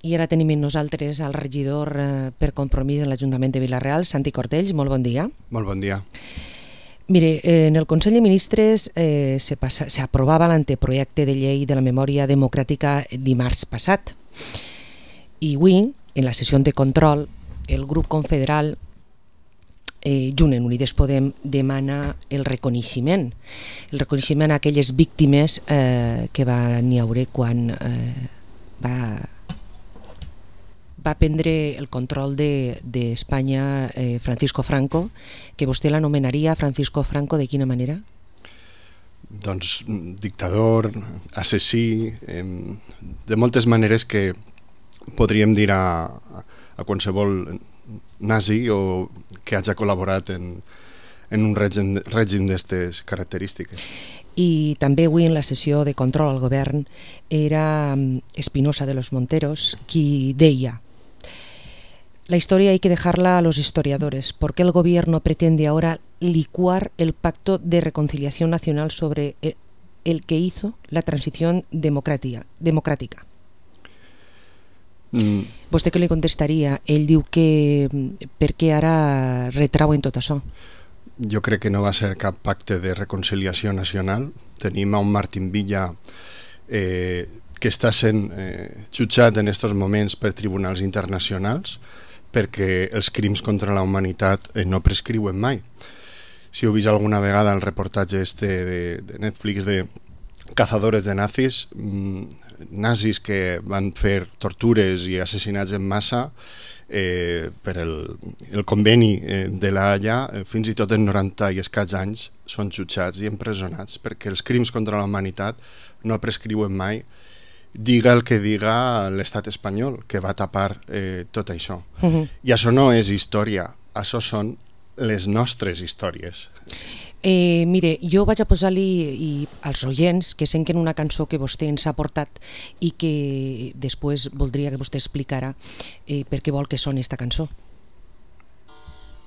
I ara tenim amb nosaltres el regidor per Compromís en l'Ajuntament de Vila-real, Santi Cortells. Molt bon dia. Molt bon dia. Mire, en el Consell de Ministres se aprovava l'anteprojecte de llei de la memòria democràtica dimarts passat. I avui, en la sessió de control, el grup confederal Junt en Unides Podem demana el reconeixement a aquelles víctimes que van hi haure quan va prendre el control d'Espanya Francisco Franco, que vostè l'anomenaria Francisco Franco de quina manera? Doncs dictador, assassí, de moltes maneres que podríem dir a qualsevol nazi o que hagi col·laborat en un règim d'aquestes característiques. I també avui en la sessió de control al govern era Espinosa de los Monteros qui deia: la historia hay que dejarla a los historiadores. ¿Por qué el gobierno pretende ahora licuar el pacto de reconciliación nacional sobre el que hizo la transición democrática? Vostè què li contestaria? Ell diu que per què ara retrauen tot això? Jo crec que no va ser cap pacte de reconciliació nacional. Tenim a un Martín Villa que està sent jutjat en aquests moments per tribunals internacionals perquè els crims contra la humanitat no prescriuen mai. Si heu vist alguna vegada el reportatge de Netflix de Cazadores de nazis, nazis que van fer tortures i assassinats en massa per el conveni de la Haia, fins i tot en 90 i escaig anys són jutjats i empresonats perquè els crims contra la humanitat no prescriuen mai, diga el que diga l'estat espanyol, que va tapar tot això. I això no és història, això són les nostres històries. Mire, jo vaig a posar-li als oients que senten una cançó que vostè ens ha portat i que després voldria que vostè explicara per què vol que soni esta cançó.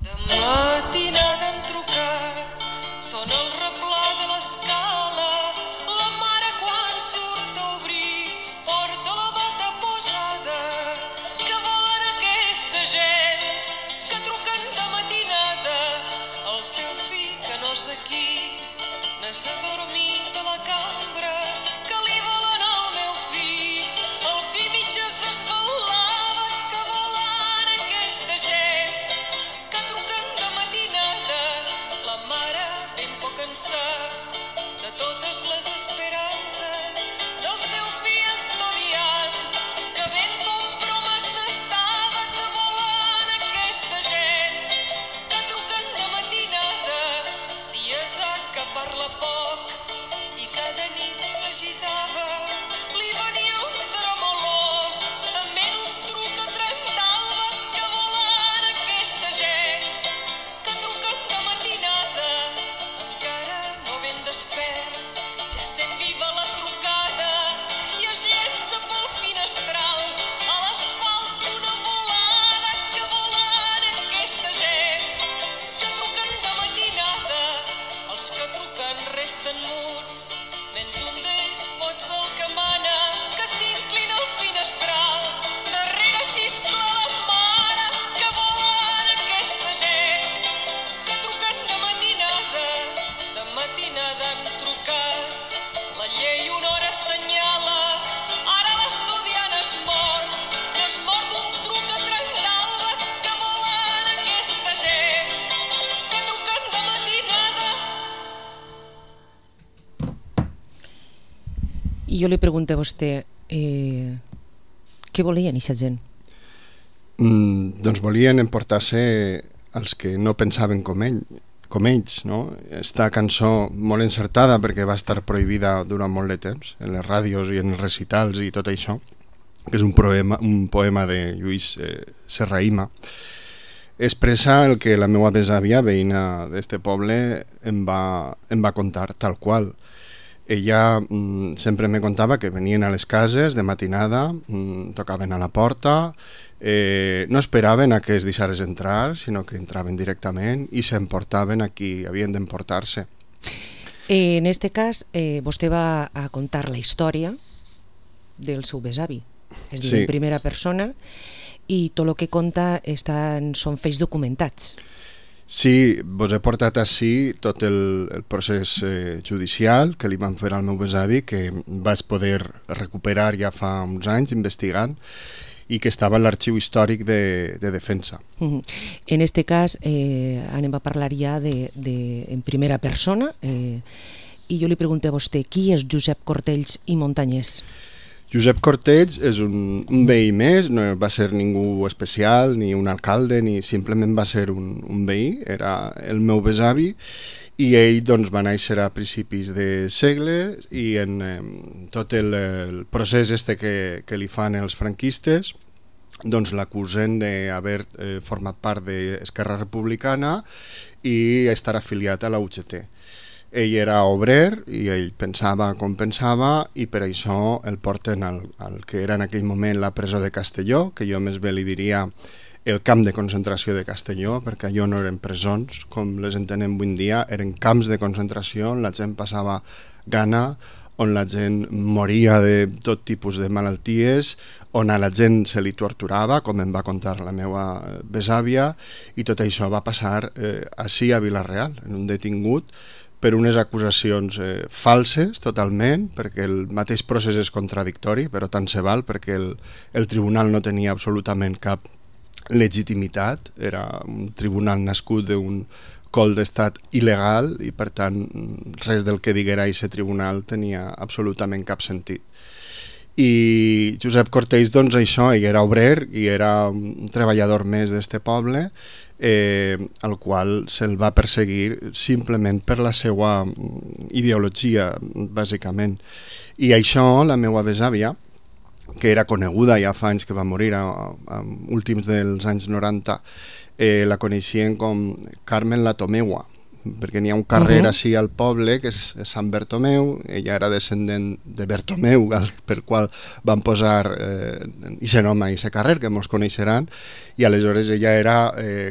De matinada hem trucat, sona el replà de l'escala, la mare quan surt a obrir porta la bata posada. Que volen aquesta gent que truquen de matinada? El seu fill que no és aquí, n'és adormit a la cambra, que li volen al meu fill. El fill mig es desvelava, que volen aquesta gent que truquen de matinada. La mare ben poc cansat de totes les esperances del seu fill estudiant, que ben compromès n'estava, que volen aquesta gent que truquen de matinada. Dies que parla poc i cada nit s'agitava, li venia un tremolor, també en un truc a Trentalba, que volen aquesta gent que truquen de matinada. Encara no ben despert, ja sent viva la trucada i es llença pel finestral a l'asfalt una volada. Que volen aquesta gent que truquen de matinada? Els que truquen resten muts, menys un d'ells pot ser el que mana, que s'inclina al finestral, darrere xiscla la mare. Que volen aquesta gent que truquen de matinada? De matinada hem trucat, la llei una hora assenyala, ara l'estudiant és mort, no és mort d'un truc a Trentalba. Que volen aquesta gent que truquen de matinada? I jo li pregunto a vostè, què volien aquesta gent? Doncs volien emportar-se els que no pensaven com ells, no? Esta cançó molt encertada perquè va estar prohibida durant molt de temps en les ràdios i en els recitals i tot això, que és un poema de Lluís Serrahima, expressa el que la meva besàvia, veïna d'este poble, em va contar tal qual. Ella sempre me contava que venien a les cases de matinada, tocaven a la porta, no esperaven a que es deixares entrar, sinó que entraven directament i s'emportaven a qui havien d'emportar-se. En este cas, vostè va a contar la història del seu besavi. es diu en primera persona, i tot el que conta són fets documentats. Sí, vos he portat així tot el procés judicial que li van fer al meu besavi, que vaig poder recuperar ja fa uns anys investigant, i que estava en l'arxiu històric de defensa. En este cas anem a parlar ja en primera persona, i jo li pregunto a vostè, qui és Josep Cortells i Montanyès? Josep Cortells és un veí més, no va ser ningú especial, ni un alcalde, ni simplement va ser un veí, era el meu besavi, i ell doncs, va néixer a principis de segle, i en tot el procés que li fan els franquistes doncs l'acusen d'haver format part d'Esquerra Republicana i estar afiliat a la UGT. Ell era obrer i ell pensava com pensava, i per això el porten al que era en aquell moment la presó de Castelló, que jo més bé li diria el camp de concentració de Castelló, perquè allò no eren presons com les entenem avui en dia, eren camps de concentració on la gent passava gana, on la gent moria de tot tipus de malalties, on a la gent se li torturava, com em va contar la meva besàvia, i tot això va passar així a Vila-real, en un detingut, per unes acusacions falses totalment, perquè el mateix procés és contradictori, però tant se val, perquè el tribunal no tenia absolutament cap legitimitat, era un tribunal nascut d'un col d'estat il·legal, i per tant res del que diguera aquest tribunal tenia absolutament cap sentit. I Josep Cortells, doncs això, ell era obrer i era un treballador més d'este poble, al qual se'l va perseguir simplement per la seva ideologia, bàsicament. I això, la meva besàvia, que era coneguda ja fa anys que va morir, a últims dels anys 90, la coneixien com Carmen la Tomeua, perquè n'hi ha un carrer així al poble que és Sant Bertomeu. Ella era descendent de Bertomeu, per qual van posar aquest nom a aquest carrer, que molts coneixeran, i aleshores ella era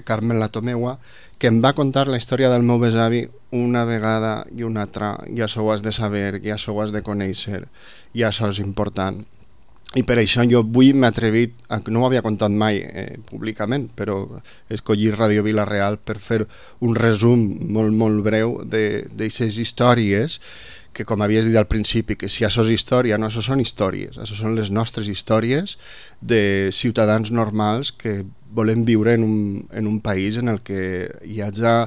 Carmen la Tomeua, que em va contar la història del meu besavi una vegada i una altra, i això ho has de saber, i això ho has de conèixer, i això és important. I per això jo avui m'he atrevit, no ho havia contat mai públicament, però escollir Ràdio Vila-real per fer un resum molt, molt breu d'aquestes històries, que com havies dit al principi, que si això és història, no, això són històries, això són les nostres històries de ciutadans normals que volem viure en un país en el que hi hagi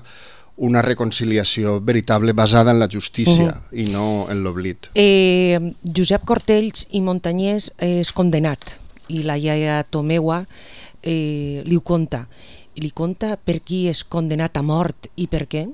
una reconciliació veritable basada en la justícia i no en l'oblit. Josep Cortells i Montanyès és condenat, i la iaia Tomeua li ho conta. Li conta per qui és condenat a mort i per què?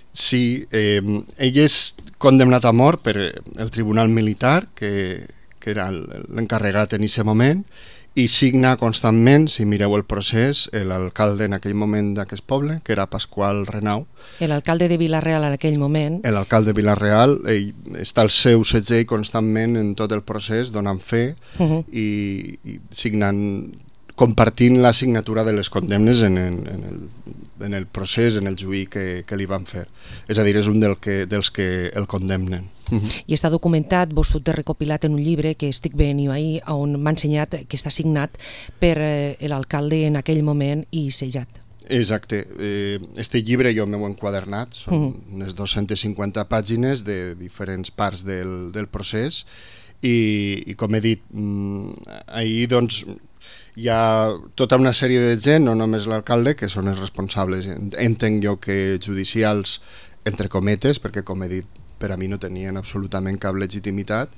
Sí, ell és condemnat a mort per el Tribunal Militar, que era l'encarregat en aquest moment, i signa constantment, si mireu el procés, l'alcalde en aquell moment d'aquest poble, que era Pasqual Renau. L'alcalde de Vila-real en aquell moment. L'alcalde de Vila-real, ell està al seu segell constantment en tot el procés, donant fe i signant, compartint la signatura de les condemnes en el procés, en el juí que li van fer. És a dir, és un dels que el condemnen. I està documentat, vos ho he recopilat en un llibre que estic veient ahir, on m'ha ensenyat que està signat per l'alcalde en aquell moment i sellat. Exacte. Este llibre jo m'ho he enquadernat, són unes 250 pàgines de diferents parts del procés, i com he dit, ahir doncs hi ha tota una sèrie de gent, no només l'alcalde, que són els responsables, entenc jo que judicials, entre cometes, perquè com he dit, per a mi no tenien absolutament cap legitimitat,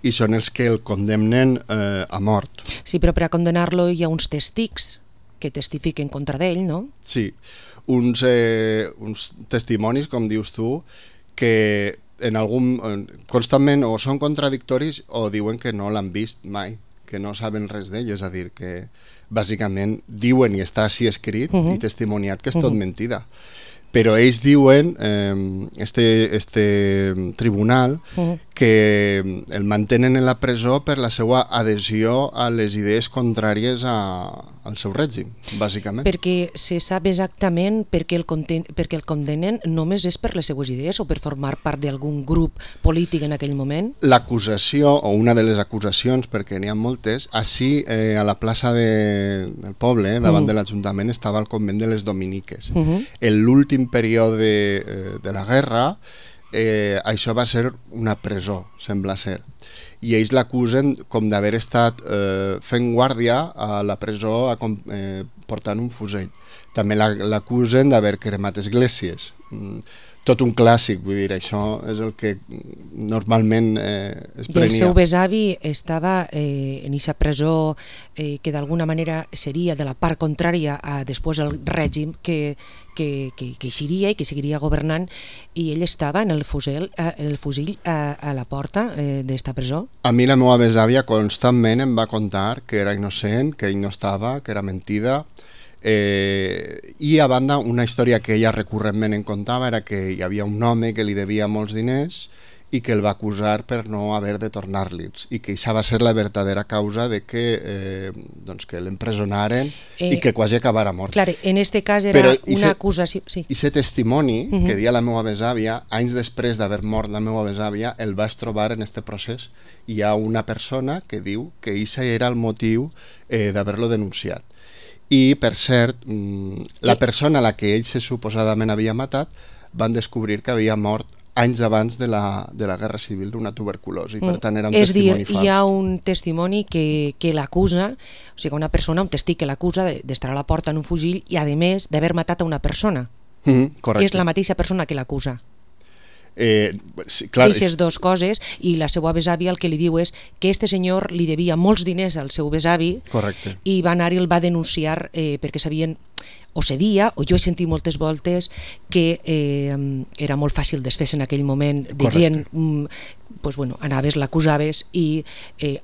i són els que el condemnen a mort. Sí, però per a condenar-lo hi ha uns testics que testifiquen contra d'ell, no? Sí, uns testimonis, com dius tu, que constantment o són contradictoris o diuen que no l'han vist mai, que no saben res d'ell, és a dir, que bàsicament diuen i està així escrit i testimoniat que és tot mentida. però ells diuen, este tribunal, que el mantenen en la presó per la seva adhesió a les idees contràries al seu règim, bàsicament. Perquè se sap exactament perquè el condenen només és per les seues idees o per formar part d'algun grup polític en aquell moment? L'acusació, o una de les acusacions, perquè n'hi ha moltes, així a la plaça del poble, davant de l'Ajuntament, estava el convent de les Dominiques. En l'últim període de la guerra, això va ser una presó, sembla ser. I ells l'acusen com d'haver estat fent guàrdia a la presó portant un fusell. També l'acusen d'haver cremat esglésies. Tot un clàssic, vull dir, això és el que normalment es prenia. I el seu besavi estava en aquesta presó que d'alguna manera seria de la part contrària a després el règim que eixiria i que seguiria governant, i ell estava en el fusil a la porta d'esta presó. A mi la meva besàvia constantment em va contar que era innocent, que ell no estava, que era mentida. I a banda, una història que ella recurrentment em contava era que hi havia un home que li devia molts diners i que el va acusar per no haver de tornar-li'ls, i que això va ser la verdadera causa de que l'empresonaren i que quasi acabara mort. Clar, en este cas era una acusació... Sí. I aquest testimoni que dia la meva besàvia, anys després d'haver mort la meva besàvia, el vaig trobar en este procés. Hi ha una persona que diu que això era el motiu d'haver-lo denunciat. I, per cert, la persona a la que ell suposadament havia matat van descobrir que havia mort anys abans de la Guerra Civil d'una tuberculosi. Per tant, era un testimoni fals. És dir, hi ha un testimoni que l'acusa, o sigui, una persona, un testig que l'acusa d'estar a la porta en un fusil i, a més, d'haver matat a una persona. Correcte. És la mateixa persona que l'acusa. Sí, clar, Aquestes dues coses, i la seva besàvia el que li diu és que este senyor li devia molts diners al seu besavi. Correcte. I va anar i el va denunciar perquè sabien, o cedia, o jo he sentit moltes voltes que era molt fàcil desfer-se en aquell moment de gent, pues bueno, anaves, l'acusaves i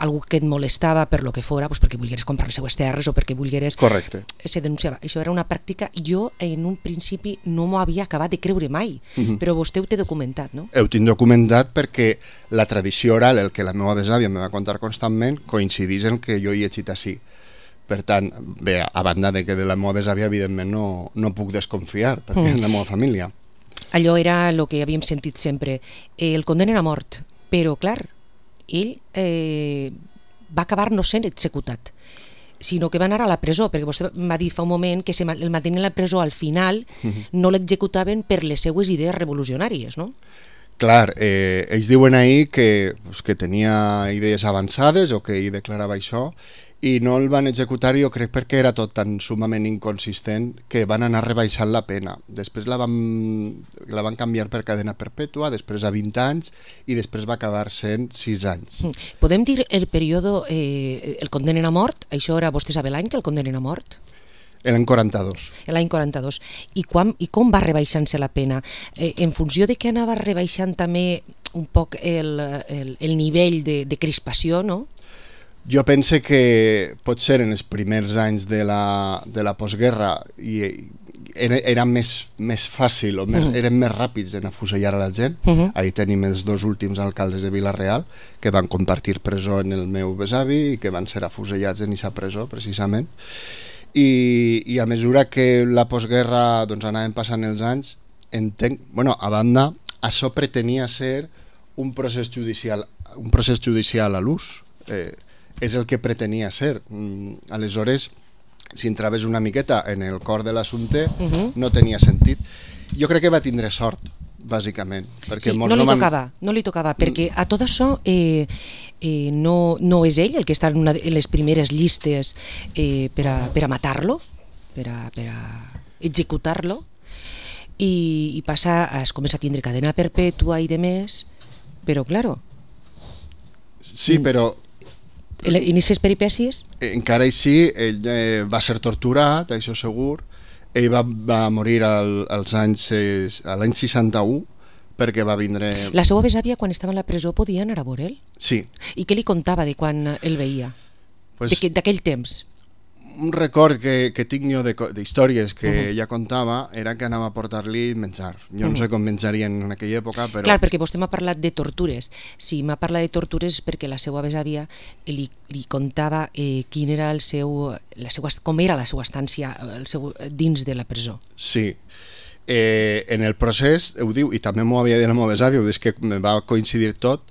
algú que et molestava per lo que fora, pues perquè volgueres comprar les seues terres o perquè volgueres... Correcte. Se denunciava. Això era una pràctica, jo en un principi no m'ho havia acabat de creure mai, però vostè ho té documentat, no? Ho tinc documentat perquè la tradició oral, el que la meva besàvia me va contar constantment, coincidís en que jo hi he llegit així. Per tant, bé, a banda de que de la meva besàvia, evidentment, no puc desconfiar, perquè és la meva família. Allò era el que havíem sentit sempre. El condenen a mort, però, clar, ell va acabar no sent executat, sinó que va anar a la presó, perquè vostè m'ha dit fa un moment que el mantenien a la presó al final, no l'executaven per les seues idees revolucionàries, no? Clar, ells diuen ahir que tenia idees avançades o que ell declarava això, i no el van executar, jo crec, perquè era tot tan sumament inconsistent que van anar rebaixant la pena. Després la van canviar per cadena perpètua, després a 20 anys i després va acabar sent 6 anys. Podem dir el període, el condenen a mort? Això era, vostè sabe l'any que el condenen a mort? L'any 42. L'any 42. I com va rebaixant-se la pena? En funció de que anava rebaixant també un poc el nivell de crispació, no? Jo pense que potser en els primers anys de la postguerra era més fàcil, o eren més ràpids en afusellar a la gent. Ahí tenim els dos últims alcaldes de Vila-real que van compartir presó en el meu besavi i que van ser afusellats en aquesta presó, precisament. I a mesura que la postguerra anaven passant els anys, a banda, això pretenia ser un procés judicial a l'ús. És el que pretenia ser. Aleshores, si entraves una miqueta en el cor de l'assumpte, no tenia sentit. Jo crec que va tindre sort, bàsicament. Sí, no li tocava, perquè a tot això no és ell el que està en les primeres llistes per a matar-lo, per a executar-lo, i es comença a tindre cadena perpètua i demés, però, claro... Sí, però... En aquestes peripècies? Encara així, ell va ser torturat, això segur. Ell va morir l'any 61 perquè va vindre... La seva besàvia, quan estava en la presó, podia anar a veure'l? Sí. I què li contava de quan el veia? D'aquell temps? un record que tinc jo d'històries que ella contava era que anava a portar-li menjar. Jo no sé com menjarien en aquella època, però... Clar, perquè vostè m'ha parlat de tortures. Si m'ha parlat de tortures és perquè la seva besàvia li contava quin era com era la seva estància dins de la presó. Sí. En el procés, ho diu, i també m'ho havia dit la meva besàvia, és que me va coincidir tot,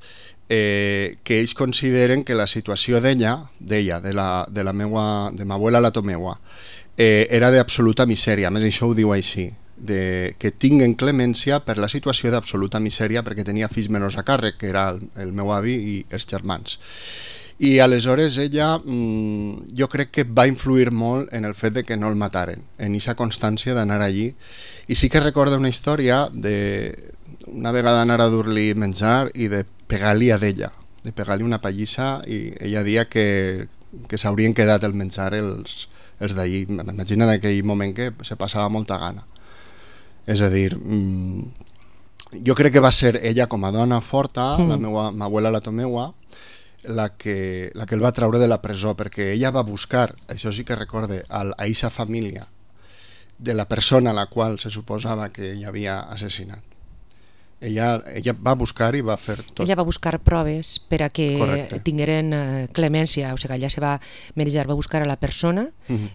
que ells consideren que la situació d'ella, de ma abuela la Tomeua, era d'absoluta misèria. A més, això ho diu així, que tinguen clemència per la situació d'absoluta misèria perquè tenia fills menors a càrrec, que era el meu avi i els germans. I aleshores ella, jo crec que va influir molt en el fet de que no el mataren, en aquesta constància d'anar allí. I sí que recorda una història d'una vegada anar a dur-li menjar i de pegar-li a d'ella, de pegar-li una pallissa, i ella dia que s'haurien quedat el menjar els d'allí. M'imagina d'aquell moment que se passava molta gana. És a dir, jo crec que va ser ella com a dona forta, ma abuela la Tomeua, la que el va treure de la presó, perquè ella va buscar, això sí que recorde, a aquesta família de la persona a la qual se suposava que ella havia assassinat. Ella va buscar i va fer tot. Ella va buscar proves per a que tingueren clemència, o sigui, allà se va merjar, va buscar a la persona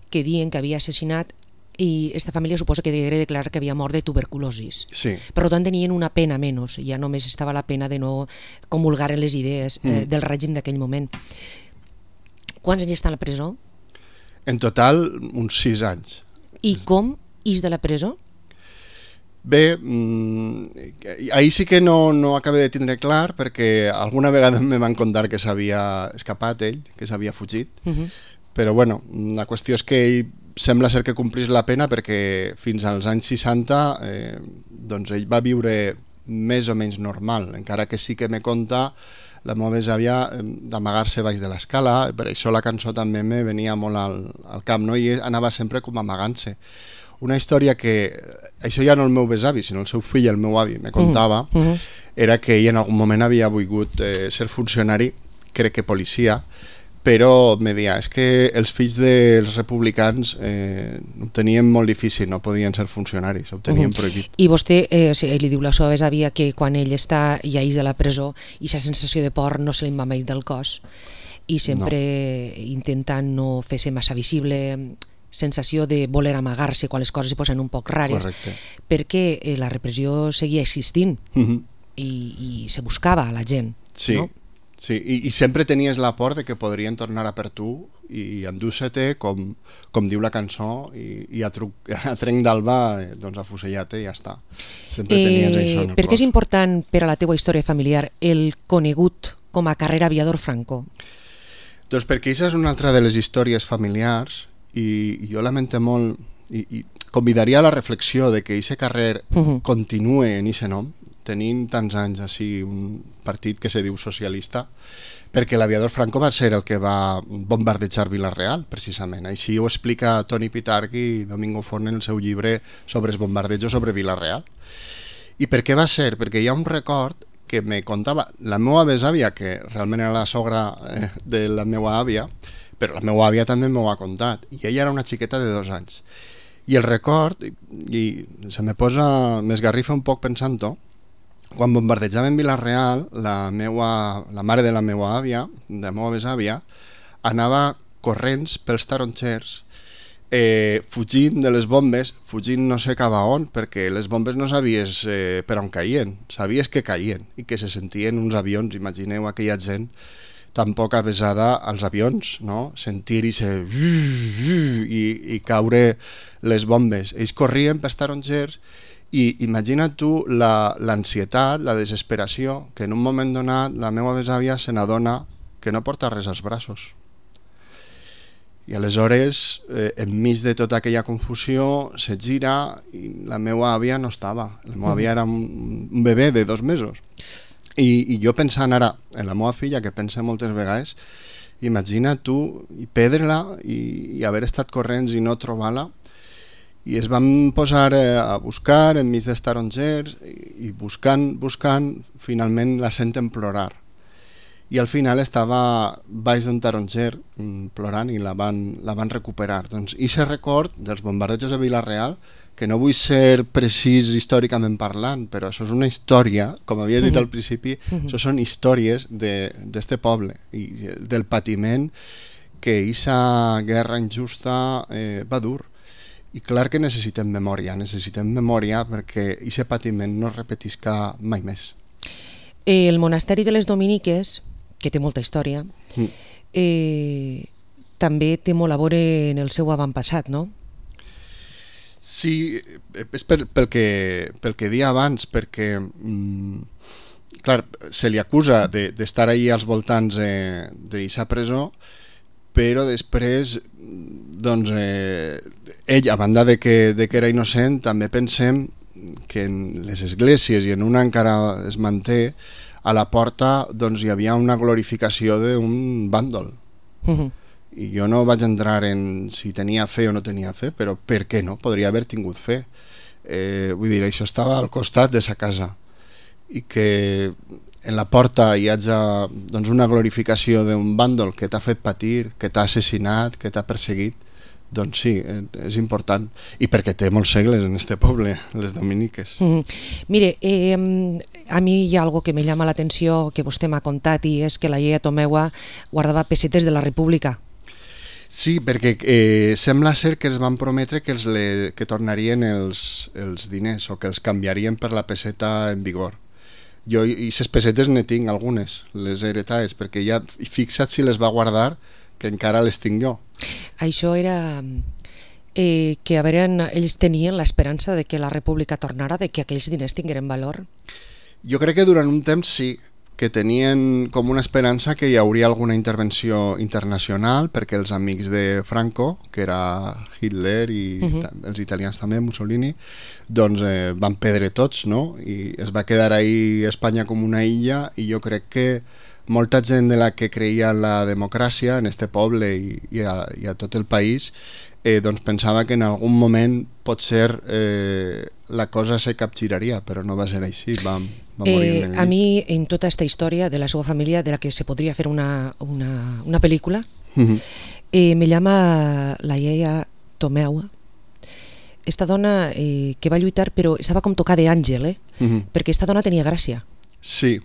que diuen que havia assassinat, i aquesta família suposa que degué declarar que havia mort de tuberculosis. Sí. Per tant, tenien una pena menys, ja només estava la pena de no comulgar en les idees del règim d'aquell moment. Quants anys està a la presó? En total, uns 6 anys. I com ix de la presó? Bé, ahir sí que no acabé de tindre clar, perquè alguna vegada me van contar que s'havia escapat ell, que s'havia fugit, però bueno, la qüestió és que ell sembla ser que complís la pena, perquè fins als anys 60 doncs ell va viure més o menys normal, encara que sí que me conta la meva besàvia d'amagar-se baix de l'escala. Per això la cançó també me venia molt al cap, no? I anava sempre com amagant-se. Una història que, això ja no el meu besavi, sinó el seu fill, el meu avi, me contava, era que ell en algun moment havia volgut ser funcionari, crec que policia, però me deia, és que els fills dels republicans ho tenien molt difícil, no podien ser funcionaris, ho tenien prohibit. I vostè li diu la seva besàvia que quan ell està ja ix de la presó, i aquesta sensació de por no se li va mai del cos, i sempre intentant no fer-se massa visible, sensació de voler amagar-se quan les coses es posen un poc rares. Correcte. Perquè la repressió seguia existint i se buscava a la gent. Sí. No? Sí, i sempre tenies la por de que podrien tornar a per tu i endur-se-te, com diu la cançó, i a trenc d'alba doncs afusellar-te i ja està. Sempre tenies això en el per què és cos. important per a la teua història familiar el conegut com a carrer aviador Franco? Doncs perquè aquesta és una altra de les històries familiars, i jo lamento molt, i convidaria a la reflexió de que aquest carrer continue en aquest nom, tenint tants anys així un partit que se diu socialista, perquè l'aviador Franco va ser el que va bombardejar Vila-real, precisament. Així ho explica Toni Pitarch i Domingo Forn en el seu llibre sobre els bombardejos sobre Vila-real. I per què va ser? Perquè hi ha un record que me contava la meva besàvia, que realment era la sogra de la meva àvia, però la meva àvia també m'ho ha contat, i ella era una xiqueta de 2 anys. I el record, i se me posa, m'esgarrifa un poc pensant-ho, quan bombardejaven Vila-real, la mare de la meva àvia, de la meva besàvia, anava corrents pels tarongers, fugint de les bombes, fugint no sé cap a on, perquè les bombes no sabies per on caien, sabies que caien i que se sentien uns avions. Imagineu aquella gent tan poc avesada als avions, no? Sentir-hi i caure les bombes. Ells corrien pels tarongers. I imagina't tu l'ansietat, la desesperació, que en un moment donat la meva besàvia se n'adona que no porta res als braços. I aleshores, enmig de tota aquella confusió, se gira i la meva àvia no estava. La meva àvia era un bebè de 2 mesos. I jo pensant ara en la meva filla, que pensa moltes vegades, imagina't tu perdre-la i haver estat corrents i no trobar-la. I es van posar a buscar enmig dels tarongers i buscant, finalment la senten plorar. i al final estava baix d'un taronger plorant i la van recuperar. Doncs aquest record dels bombardejos de Vila-real, que no vull ser precís històricament parlant, però això és una història, com havies dit al principi, això són històries d'este poble i del patiment que aquesta guerra injusta va dur. I clar que necessitem memòria perquè aquest patiment no es repetisca mai més. El monasteri de les Dominiques, que té molta història, també té molt a veure en el seu avantpassat, no? Sí, és pel que dia abans, perquè clar, se li acusa d'estar ahí als voltants d'aquesta presó, però després doncs, ell, a banda de que era innocent, també pensem que en les esglésies i en una encara es manté, a la porta doncs, hi havia una glorificació d'un bàndol. I jo no vaig entrar en si tenia fe o no tenia fe, però per què no? Podria haver tingut fe. Vull dir, això estava al costat de sa casa i que en la porta hi hagi doncs, una glorificació d'un bàndol que t'ha fet patir, que t'ha assassinat, que t'ha perseguit, doncs sí, és important. I perquè té molts segles en este poble, les Dominiques. Mire, a mi hi ha algo que me llama la atenció que vostè m'ha contat, i és que la iaia Tomeua guardava pessetes de la República. Sí, perquè sembla ser que es van prometre que tornarien els diners o que els canviarien per la peseta en vigor. Jo i les pessetes ne tinc algunes, les heretades, perquè ja fixa't si les va guardar, que encara les tinc jo. Això era que a veure, ells tenien l'esperança de que la República tornara, de que aquells diners tingueren valor? Jo crec que durant un temps sí, que tenien com una esperança que hi hauria alguna intervenció internacional, perquè els amics de Franco, que era Hitler i els italians també, Mussolini, doncs van perdre tots, no? I es va quedar ahí Espanya com una illa, i jo crec que molta gent de la que creia en la democràcia en este poble i a tot el país doncs pensava que en algun moment potser la cosa se capgiraria, però no va ser així, va morir. A mi, en tota aquesta història de la seva família, de la que se podria fer una pel·lícula, me llama la iaia Tomeua, esta dona que va lluitar però estava com tocada d'àngel, perquè esta dona tenia gràcia. Sí,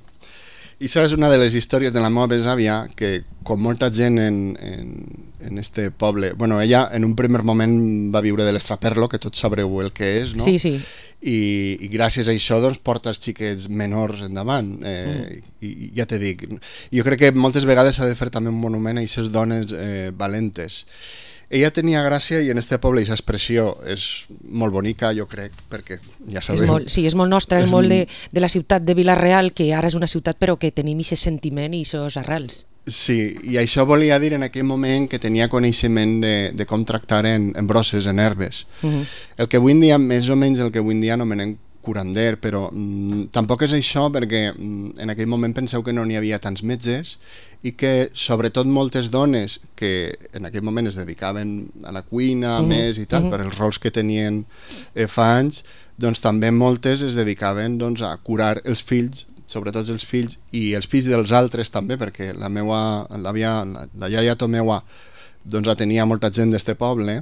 i això és una de les històries de la meva besàvia, que com molta gent en este poble, bueno, ella en un primer moment va viure de l'estraperlo, que tots sabreu el que és, no? Sí, sí. I gràcies a això doncs, porta els xiquets menors endavant. I ja te dic, jo crec que moltes vegades s'ha de fer també un monument a aquestes dones valentes. Ella tenia gràcia i en este poble aquesta expressió és molt bonica, jo crec, perquè ja sabeu... Sí, és molt nostra, és molt de la ciutat de Vila-real, que ara és una ciutat però que tenim aquest sentiment i aquests arrels. Sí, i això volia dir en aquell moment que tenia coneixement de com tractar en brosses, en herbes. El que avui en dia, més o menys el que avui en dia anomenem curander, però tampoc és això, perquè en aquell moment penseu que no n'hi havia tants metges i que sobretot moltes dones que en aquell moment es dedicaven a la cuina més i tal, per els rols que tenien fa anys, doncs també moltes es dedicaven doncs, a curar els fills, sobretot els fills i els fills dels altres també, perquè la iaia Tomeua doncs, la tenia molta gent d'este poble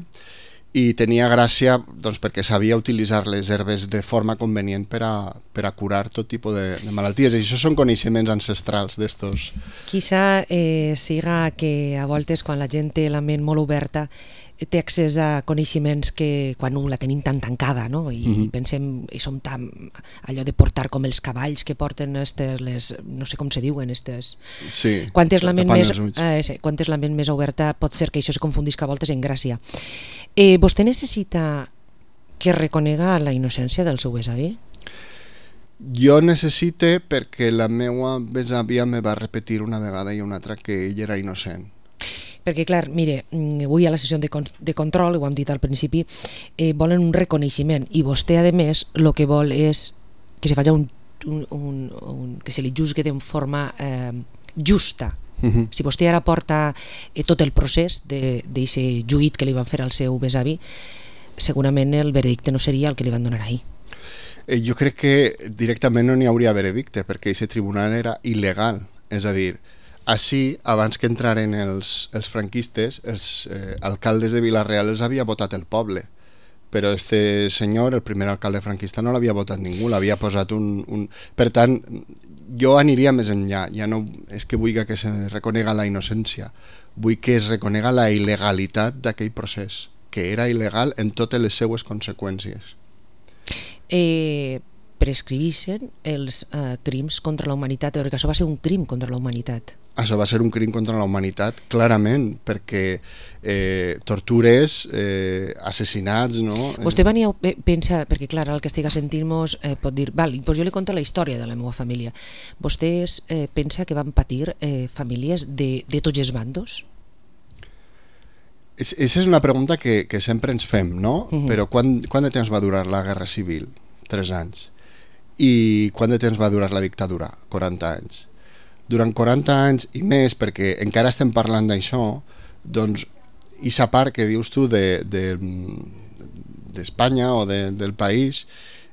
i tenia gràcia doncs, perquè sabia utilitzar les herbes de forma convenient per a curar tot tipus de malalties, i això són coneixements ancestrals d'estos. Quizá siga que a voltes quan la gent té la ment molt oberta té accés a coneixements que quan la tenim tan tancada, no? I pensem, i som tan allò de portar com els cavalls que porten les, no sé com se diuen estes. Sí, quan és la ment més oberta pot ser que això se confundisca a voltes en gràcia. Vostè necessita que reconega la innocència del seu besavi? Jo necessite perquè la meva besàvia me va repetir una vegada i una altra que ell era innocent. Perquè, clar, mire, avui a la sessió de control, ho hem dit al principi, volen un reconeixement i vostè, a més, el que vol és que se faci que se li juzgue de forma justa. Si vostè ara porta tot el procés d'aquest juït que li van fer al seu besavi, segurament el veredicte no seria el que li van donar ahir. Jo crec que directament no n'hi hauria veredicte perquè aquest tribunal era il·legal, és a dir, Així, abans que entraren els franquistes, els alcaldes de Vila-real els havia votat el poble, però este senyor, el primer alcalde franquista, no l'havia votat ningú, l'havia posat un... Per tant, jo aniria més enllà, ja no és que vull que se reconega la innocència, vull que es reconega la il·legalitat d'aquell procés, que era il·legal en totes les seues conseqüències. Prescrivixen els crims contra la humanitat, perquè això va ser un crim contra la humanitat. Això va ser un crim contra la humanitat, clarament, perquè tortures, assassinats, no? Vostè pensa, perquè clar, el que estiga sentint-nos pot dir, val, doncs jo li conto la història de la meva família. Vostès pensa que van patir famílies de tots els bandos? Aquesta és una pregunta que sempre ens fem, no? Però quant de temps va durar la Guerra Civil? 3 anys. I quant de temps va durar la dictadura? 40 anys. Durant 40 anys i més, perquè encara estem parlant d'això, doncs, i sa part que dius tu d'Espanya o del país,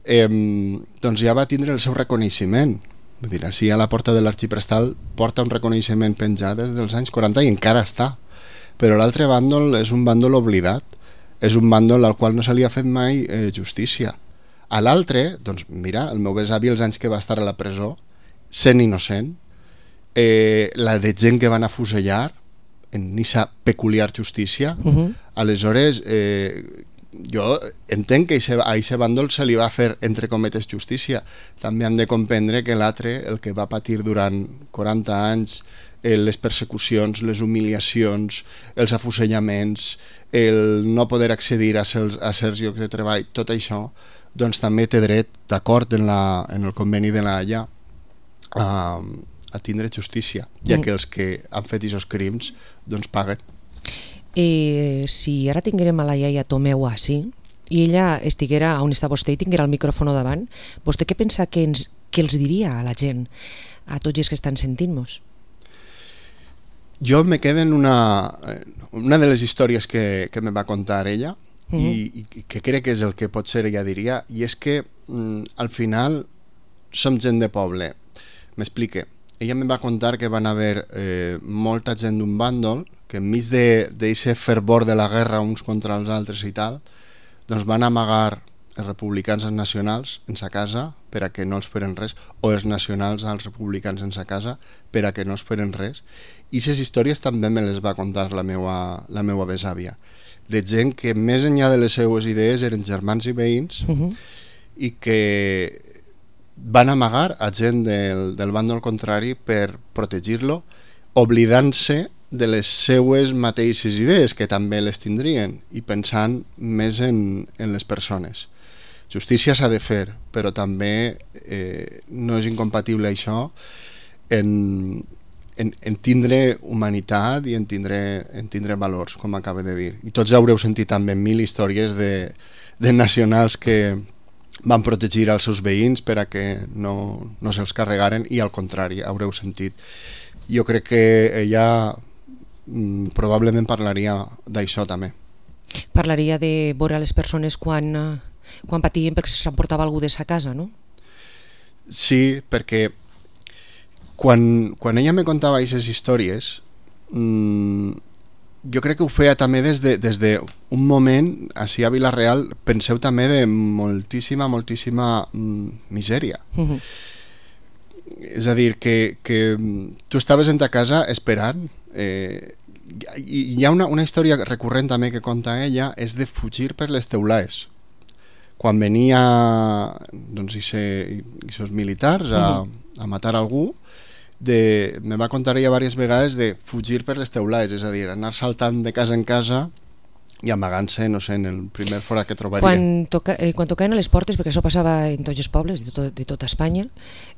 doncs ja va tindre el seu reconeixement. Vull dir, així a la porta de l'Arxiprestal porta un reconeixement penjat des dels anys 40 i encara està. Però l'altre bàndol és un bàndol oblidat, és un bàndol al qual no se li ha fet mai justícia. A l'altre, doncs mira, el meu besavi els anys que va estar a la presó, sent innocent, la de gent que van afusellar en aquesta peculiar justícia, aleshores jo entenc que a aquest bàndol se li va fer, entre cometes, justícia. També han de comprendre que l'altre, el que va patir durant 40 anys, les persecucions, les humiliacions, els afusellaments, el no poder accedir a certs llocs de treball, tot això, doncs també té dret, d'acord en el conveni de la Haia, a tindre justícia, ja que els que han fet aquests crims doncs paguen. Si ara tinguérem a la iaia Tomeu així i ella estiguera on està vostè i tinguera el micròfon davant, vostè què pensa que els diria a la gent, a tots els que estan sentint-nos? Jo me quedo en una de les històries que me va contar ella, i que crec que és el que potser ella diria, i és que al final som gent de poble. M'explique. Ella me va contar que van haver molta gent d'un bàndol que enmig d'aquest fervor de la guerra uns contra els altres i tal, doncs van amagar els republicans als nacionals en sa casa per a que no els feren res, o els nacionals als republicans en sa casa per a que no els feren res. I aquestes històries també me les va contar la meua besàvia, de gent que més enllà de les seues idees eren germans i veïns i que van amagar a gent del bàndol contrari per protegir-lo, oblidant-se de les seues mateixes idees, que també les tindrien, i pensant més en les persones. Justícia s'ha de fer, però també no és incompatible això en tindre humanitat i en tindre valors, com acaba de dir. I tots haureu sentit també 1000 històries de nacionals que van protegir els seus veïns per a que no se'ls carregaren, i al contrari, haureu sentit. Jo crec que ella probablement parlaria d'això també. Parlaria de veure les persones quan patien perquè s'emportava algú de sa casa, no? Sí, perquè quan ella me contava aquestes històries, jo crec que ho feia també des d'un moment, així a Vila-real, penseu també de moltíssima misèria. És a dir, que tu estaves en ta casa esperant. Hi ha una història recurrent també que conta ella, és de fugir per les teulades. Quan venia aquests militars a matar algú, me va contar ella diverses vegades de fugir per les teulades, és a dir, anar saltant de casa en casa i amagant-se, no sé, en el primer forat que trobaria. Quan tocaven a les portes, perquè això passava en tots els pobles de tota Espanya,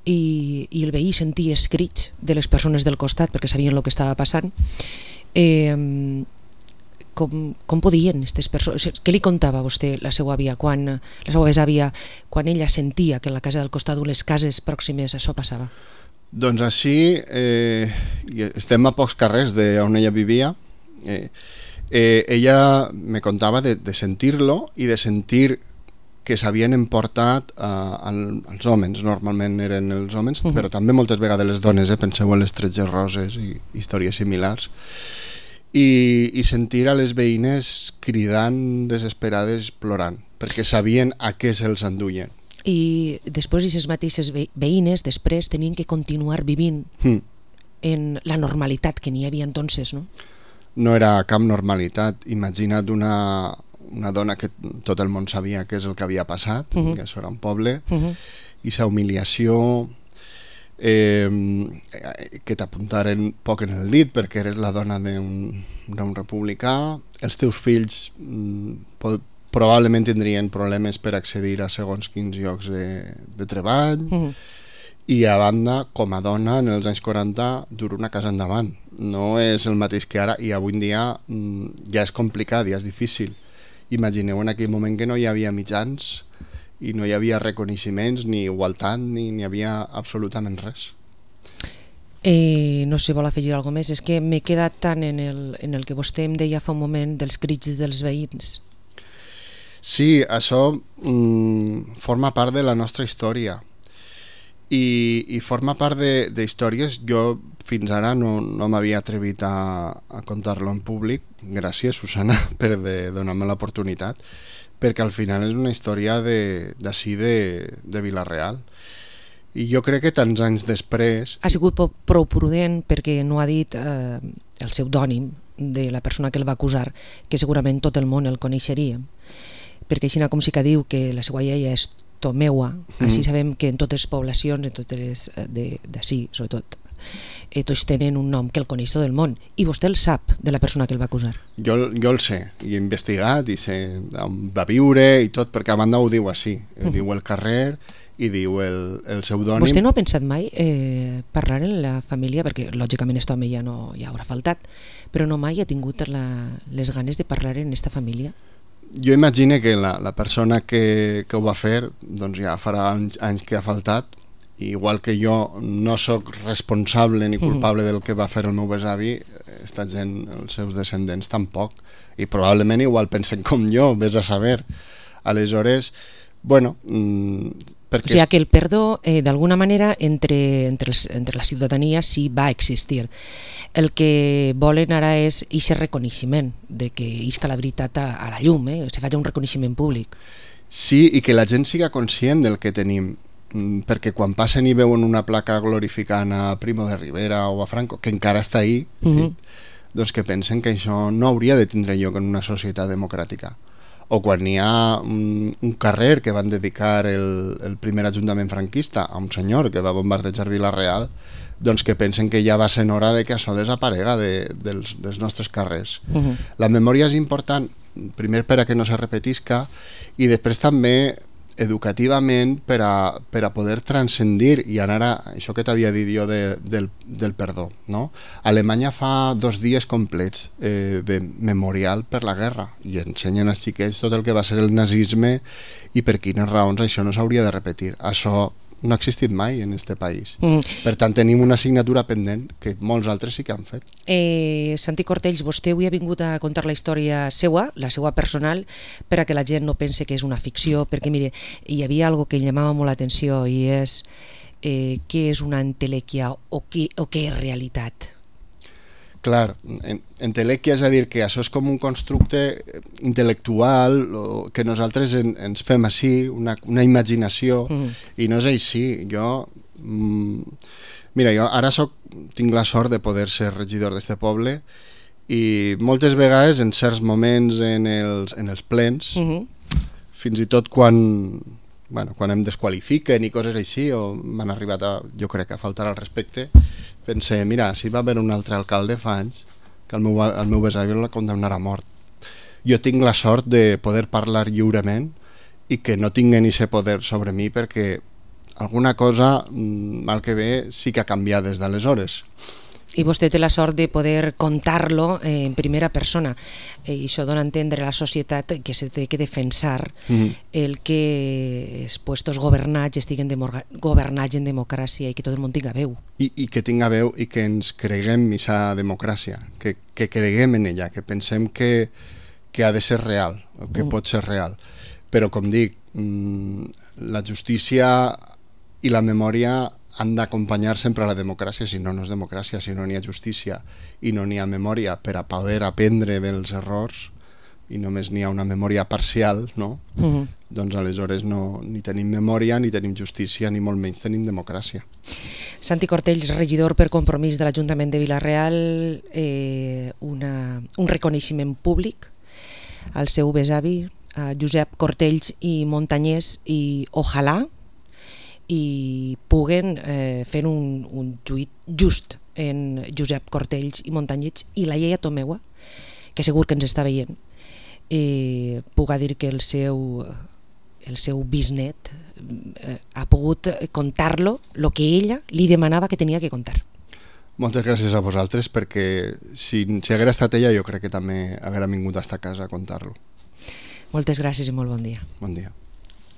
i el veí sentia els crits de les persones del costat perquè sabien el que estava passant, com podien aquestes persones? Què li contava a vostè la seva àvia, la seva besàvia, quan ella sentia que en la casa del costat o les cases pròximes això passava? Doncs així, estem a pocs carrers d'on ella vivia. Ella me contava de sentir-lo i de sentir que s'havien emportat als homes, normalment eren els homes, però també moltes vegades les dones, penseu en les Tretges Roses i històries similars, i sentir a les veïnes cridant desesperades, plorant, perquè sabien a què se'ls enduien. I després aquestes mateixes veïnes després tenien que continuar vivint en la normalitat que n'hi havia entonces, no? No era cap normalitat. Imagina't una dona que tot el món sabia què és el que havia passat, que això era un poble, i sa humiliació, que t'apuntaren poc en el dit perquè eres la dona d'un republicà, els teus fills probablement tindrien problemes per accedir a segons quins llocs de treball, i a banda, com a dona, en els anys 40 dur una casa endavant. No és el mateix que ara, i avui en dia ja és complicat, ja és difícil. Imagineu en aquell moment que no hi havia mitjans i no hi havia reconeixements, ni igualtat, ni hi havia absolutament res. No sé si vol afegir alguna més. És que m'he quedat tant en el que vostè em deia fa un moment dels crits dels veïns. Sí, això forma part de la nostra història i forma part d'històries. Jo fins ara no m'havia atrevit a contar-lo en públic. Gràcies, Susana, per donar-me l'oportunitat, perquè al final és una història d'ací de Vila-real. I jo crec que tants anys després... Ha sigut prou prudent perquè no ha dit el pseudònim de la persona que el va acusar, que segurament tot el món el coneixeria, perquè així com sí que diu que la seva iaia és Tomeua, així sabem que en totes les poblacions, en totes d'ací, sobretot, tots tenen un nom que el coneix tot el món, i vostè el sap de la persona que el va acusar. Jo el sé, i he investigat, i sé on va viure i tot, perquè a banda ho diu així, diu el carrer i diu el pseudònim. Vostè no ha pensat mai parlar en la família, perquè lògicament aquest home ja haurà faltat, però no mai ha tingut les ganes de parlar en aquesta família? Jo imagino que la persona que ho va fer doncs ja farà anys que ha faltat, igual que jo no sóc responsable ni culpable del que va fer el meu besavi, esta gent, els seus descendents tampoc, i probablement igual pensen com jo, vés a saber. Aleshores, bueno... O sigui que el perdó, d'alguna manera, entre la ciutadania sí va existir. El que volen ara és aquest reconeixement, de que isca la veritat a la llum, se faci un reconeixement públic. Sí, i que la gent siga conscient del que tenim, perquè quan passen i veuen una placa glorificant a Primo de Rivera o a Franco, que encara està ahí, doncs que pensen que això no hauria de tindre lloc en una societat democràtica. O quan hi ha un carrer que van dedicar el primer ajuntament franquista a un senyor que va bombardejar Vila-real, doncs que pensen que ja va ser hora de que això desaparega dels nostres carrers. La memòria és important, primer per a que no se repetisca, i després també educativament per a poder transcendir i anar a això que t'havia dit jo del perdó, no? Alemanya fa 2 dies complets de memorial per la guerra i ensenyen als xiquets tot el que va ser el nazisme i per quines raons això no s'hauria de repetir. Això no ha existit mai en este país. Per tant, tenim una assignatura pendent que molts altres sí que han fet. Santi Cortells, vostè avui ha vingut a contar la història seua, la seua personal, per a que la gent no pense que és una ficció, perquè mire, hi havia algo que llamava molt l'atenció i és què és una entelèquia o què és realitat. Clar, entelèquia és a dir que això és com un constructe intel·lectual que nosaltres ens fem així, una imaginació, i no és així. Mira, jo ara tinc la sort de poder ser regidor d'este poble i moltes vegades en certs moments en els plens, fins i tot quan em desqualifiquen i coses així, o m'han arribat jo crec, a faltar al respecte, pensé, mira, si va haver un altre alcalde fa anys que el meu besavi el condemnarà a mort. Jo tinc la sort de poder parlar lliurement i que no tinguen aquest poder sobre mi, perquè alguna cosa, mal que bé, sí que ha canviat des d'aleshores. I vostè té la sort de poder contar-lo en primera persona, i això dona a entendre a la societat que se té que defensar el que els puestos governats estiguen governats en democràcia i que tot el món tinga veu. I que tinga veu i que ens creguem en aquesta democràcia, que creguem en ella, que pensem que ha de ser real, que pot ser real. Però com dic, la justícia i la memòria han d'acompanyar sempre la democràcia, si no, no és democràcia. Si no n'hi ha justícia i no n'hi ha memòria per a poder aprendre dels errors i només n'hi ha una memòria parcial, no? Doncs aleshores ni tenim memòria, ni tenim justícia, ni molt menys tenim democràcia. Santi Cortells, regidor per Compromís de l'Ajuntament de Vila-real, un reconeixement públic al seu besavi, a Josep Cortells i Montanyès, i ojalà i puguen fer un juit just en Josep Cortells i Montanyès i la Lleia Tomeua, que segur que ens està veient, puga dir que el seu bisnet ha pogut contar-lo el que ella li demanava que tenia que contar. Moltes gràcies a vosaltres, perquè si haguera estat ella jo crec que també haguera vingut a esta casa a contar-lo. Moltes gràcies i molt bon dia. Bon dia.